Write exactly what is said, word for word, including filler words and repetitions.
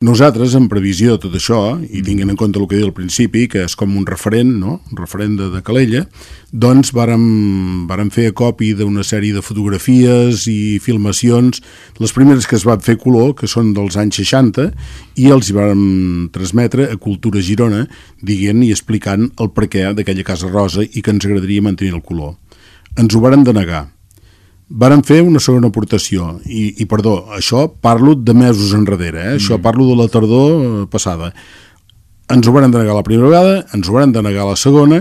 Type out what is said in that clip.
Nosaltres, en previsió de tot això, i tinguent en compte el que he dit al principi, que és com un referent, no? Un referent de, de Calella, doncs vàrem, vàrem fer copi d'una sèrie de fotografies i filmacions, les primeres que es van fer color, que són dels anys seixanta, i els hi vàrem transmetre a Cultura Girona, dient i explicant el perquè d'aquella Casa Rosa i que ens agradaria mantenir el color. Ens ho varen denegar. Varen fer una segona aportació i, i perdó, això parlo de mesos enrere, eh? Això mm. parlo de la tardor passada. Ens ho varen denegar la primera vegada, ens ho varen denegar la segona